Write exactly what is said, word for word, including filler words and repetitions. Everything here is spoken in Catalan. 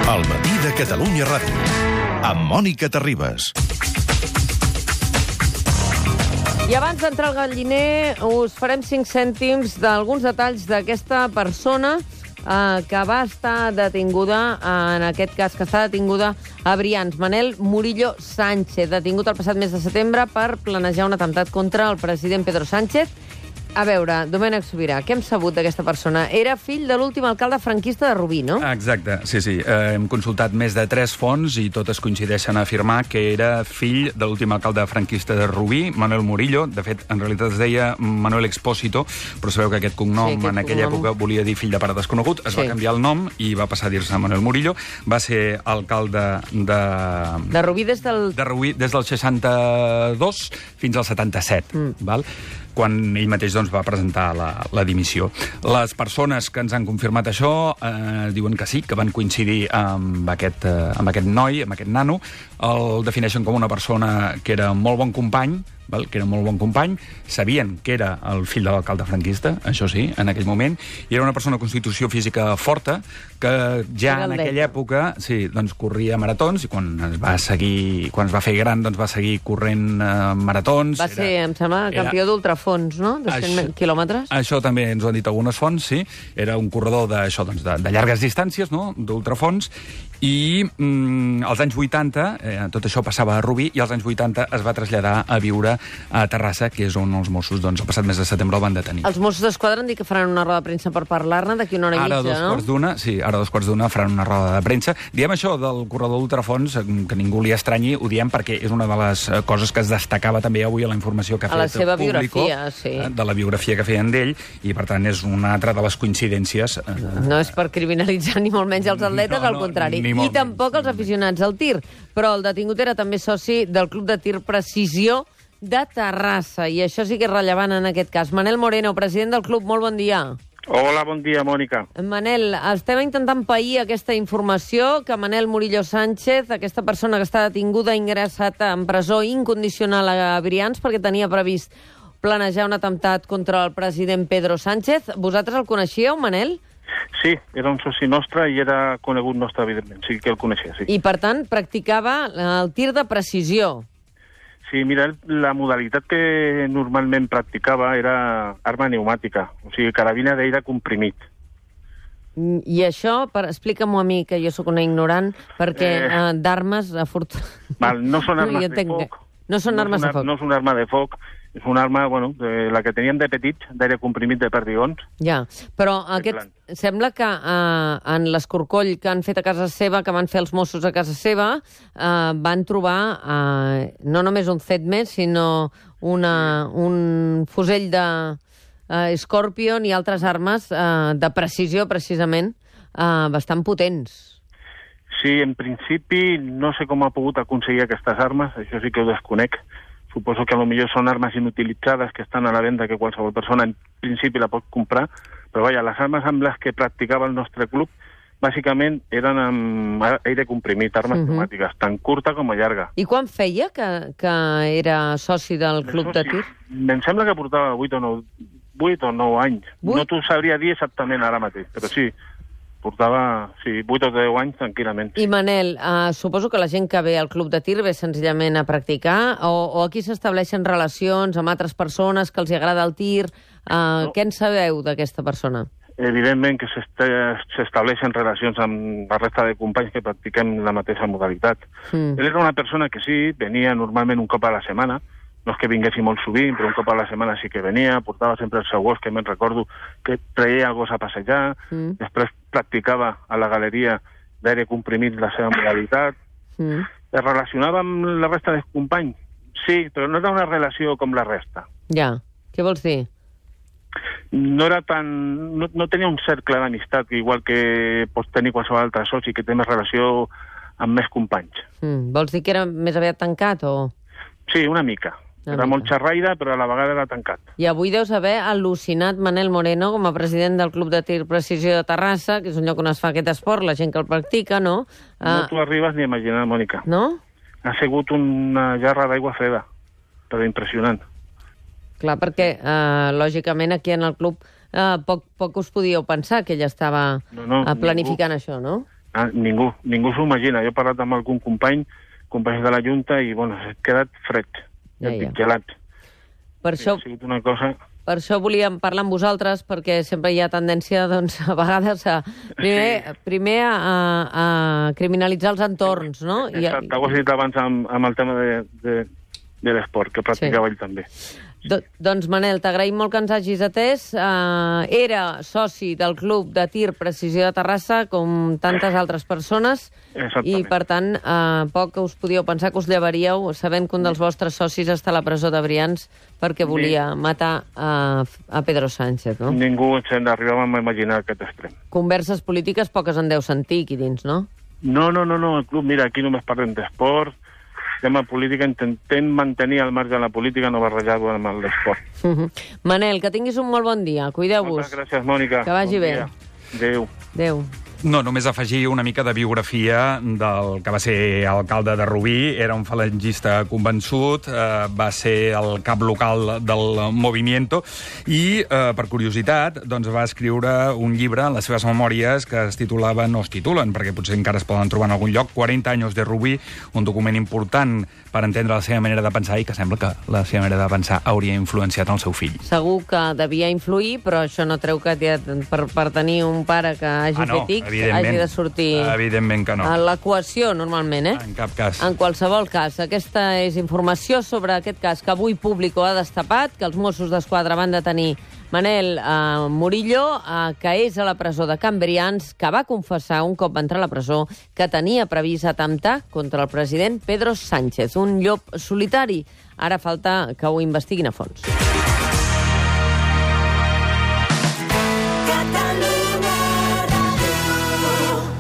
El matí de Catalunya Ràdio, amb Mònica Terribas. I abans d'entrar al galliner, us farem cinc cèntims d'alguns detalls d'aquesta persona eh, que va estar detinguda, en aquest cas que està detinguda a Brians. Manel Murillo Sánchez, detingut el passat mes de setembre per planejar un atemptat contra el president Pedro Sánchez. A veure, Domènec Sobirà, què hem sabut d'aquesta persona? Era fill de l'últim alcalde franquista de Rubí, no? Exacte, sí, sí. Eh, hem consultat més de tres fonts i totes coincideixen a afirmar que era fill de l'últim alcalde franquista de Rubí, Manuel Murillo. De fet, en realitat es deia Manuel Expósito, però sabeu que aquest cognom sí, aquest en aquella cognom... època volia dir fill de pare desconegut. Es sí. va canviar el nom i va passar a dir-se Manuel Murillo. Va ser alcalde de... De Rubí des del... De Rubí des del seixanta-dos fins al setanta-set, mm. val? Quan ell mateix doncs, va presentar la, la dimissió. Les persones que ens han confirmat això eh, diuen que sí, que van coincidir amb aquest, eh, amb aquest noi, amb aquest nano. El defineixen com una persona que era molt bon company, val? que era molt bon company, sabien que era el fill de l'alcalde franquista, això sí, en aquell moment, i era una persona de constitució física forta, que ja en aquella època sí, doncs, corria maratons, i quan es va seguir, quan es va fer gran, doncs va seguir corrent eh, maratons. Va ser, era, em sembla, campió era... d'ultrafons, no? De cent això, quilòmetres. Això també ens ho han dit algunes fonts, sí. Era un corredor de, això, doncs, de, de llargues distàncies, no? D'ultrafons, i mm, als anys vuitanta, eh, tot això passava a Rubí, i als anys vuitanta es va traslladar a viure a Terrassa, que és on els Mossos, doncs, el passat mes de setembre el van detenir. Els Mossos d'Esquadra han dit que faran una roda de premsa per parlar-ne d'aquí una hora i mitja, no? Ara dos quarts d'una, sí, ara dos quarts d'una faran una roda de premsa. Diem això del corredor d'ultrafons, que ningú li estranyi, ho diem perquè és una de les coses que es destacava també avui a la informació que ha fet a la seva Público, biografia, sí. de la biografia que feien d'ell, i per tant és una altra de les coincidències. No és per criminalitzar ni molt menys els atletes, no, al contrari. No, I tampoc menys. Els aficionats al tir. Però el detingut era també soci del Club de Tir Precisió de Terrassa, i això sí que és rellevant en aquest cas. Manel Moreno, president del club, molt bon dia. Hola, bon dia, Mònica. Manel, estem intentant pair aquesta informació que Manel Murillo Sánchez, aquesta persona que està detinguda, ha ingressat en presó incondicional a Brians perquè tenia previst planejar un atemptat contra el president Pedro Sánchez. Vosaltres el coneixíeu, Manel? Sí, era un soci nostre i era conegut nostre, evidentment. Sí que el coneixia, sí. I, per tant, practicava el tir de precisió. Sí, mira, la modalitat que normalment practicava era arma pneumàtica, o sigui, carabina d'aire comprimit. I això, per, explica-m'ho a mi, que jo sóc una ignorant, perquè eh... eh, d'armes... Afort... Val, no són armes no, de foc. No són no armes una, de foc. No és una arma de foc, és una arma, bueno, de, la que teníem de petits, d'aire comprimit de perdigons. Ja, però aquest, sembla que eh, en l'escorcoll que han fet a casa seva, que van fer els Mossos a casa seva, eh, van trobar eh, no només un C E T més, sinó una, un fusell de eh, Scorpion i altres armes eh, de precisió, precisament, eh, bastant potents. Sí, en principi no sé com ha pogut aconseguir aquestes armes, això sí que ho desconec. Suposo que potser són armes inutilitzades que estan a la venda, que qualsevol persona en principi la pot comprar, però vaja, les armes amb les que practicava el nostre club bàsicament eren amb aire comprimit, armes uh-huh. pneumàtiques, tant curta com a llarga. I quan feia que, que era soci del club de tir? Em sembla que portava vuit o nou anys. vuit? No t'ho sabria dir exactament ara mateix, però sí, portava sí, vuit o deu anys tranquil·lament. I Manel, eh, suposo que la gent que ve al club de tir ve senzillament a practicar, o, o aquí s'estableixen relacions amb altres persones que els agrada el tir? Eh, no. Què en sabeu d'aquesta persona? Evidentment que s'estableixen relacions amb la resta de companys que practiquem la mateixa modalitat. Mm. Ell era una persona que sí, venia normalment un cop a la setmana, no és que vinguessi molt sovint, però un cop a la setmana sí que venia, portava sempre el seu gos, que me'n recordo que treia el gos a passejar, mm. després practicava a la galeria d'aire comprimit la seva modalitat. Mm. Es relacionava amb la resta dels companys? Sí, però no era una relació com la resta. Ja, què vols dir? No era tan... No, no tenia un cercle d'amistat, igual que pots tenir qualsevol altre soci, que té més relació amb més companys. Mm. Vols dir que era més aviat tancat, o...? Sí, una mica. Era molt xerraire, però a la vegada era tancat. I avui deus haver al·lucinat Manel Moreno com a president del Club de Tir Precisió de Terrassa, que és un lloc on es fa aquest esport, la gent que el practica, no? No uh... t'ho arribes ni a imaginar, Mònica. No? Ha sigut una jarra d'aigua freda, però impressionant. Clar, perquè, uh, lògicament, aquí en el club uh, poc, poc us podíeu pensar que ella estava no, no, uh, planificant ningú. Això, no? Ah, ningú, ningú s'ho imagina. Jo he parlat amb algun company, companys de la Junta, i, bueno, he quedat fred, Ja, ja, ja. gelat. Per això, Ha sigut una cosa... per això volíem parlar amb vosaltres, perquè sempre hi ha tendència, doncs, a vegades, a primer, Sí. primer a, a criminalitzar els entorns, no? Exacte, ho has dit abans amb, amb el tema de, de, de l'esport, que practicava Sí. ell també. Do, doncs, Manel, t'agraïm molt que ens hagis atès. Uh, era soci del Club de Tir Precisió de Terrassa, com tantes altres persones, i, per tant, uh, poc us podíeu pensar que us llevaríeu sabent que un dels vostres socis està a la presó de Brians perquè volia matar uh, a Pedro Sánchez, no? Ningú se'n arribava a imaginar aquest extrem. Converses polítiques poques en deu sentir aquí dins, no? No, no, no, no, el club, mira, aquí només parlem d'esport, tema política, intentem mantenir al marge de la política, no barrejar-ho amb l'esport. Uh -huh. Manel, que tinguis un molt bon dia. Cuideu-vos. Moltes gràcies, Mònica. Que vagi bon bé. Dia. Adéu. Adéu. No, només afegir una mica de biografia del que va ser alcalde de Rubí. Era un falangista convençut, eh, va ser el cap local del Movimiento i, eh, per curiositat, doncs va escriure un llibre en les seves memòries que es titulaven, no es titulen, perquè potser encara es poden trobar en algun lloc, quaranta anys de Rubí, un document important per entendre la seva manera de pensar i que sembla que la seva manera de pensar hauria influenciat el seu fill. Segur que devia influir, però això no treu que per, per tenir un pare que hagi Ah, no, fet X evidentment. hagi de sortir Evidentment que no. a l'equació, normalment, eh? En cap cas. En qualsevol cas, aquesta és informació sobre aquest cas que avui Público ha destapat, que els Mossos d'Esquadra van detenir Manel eh, Murillo, eh, que és a la presó de Can Brians, que va confessar un cop va entrar a la presó que tenia previst atemptar contra el president Pedro Sánchez, un llop solitari. Ara falta que ho investiguin a fons.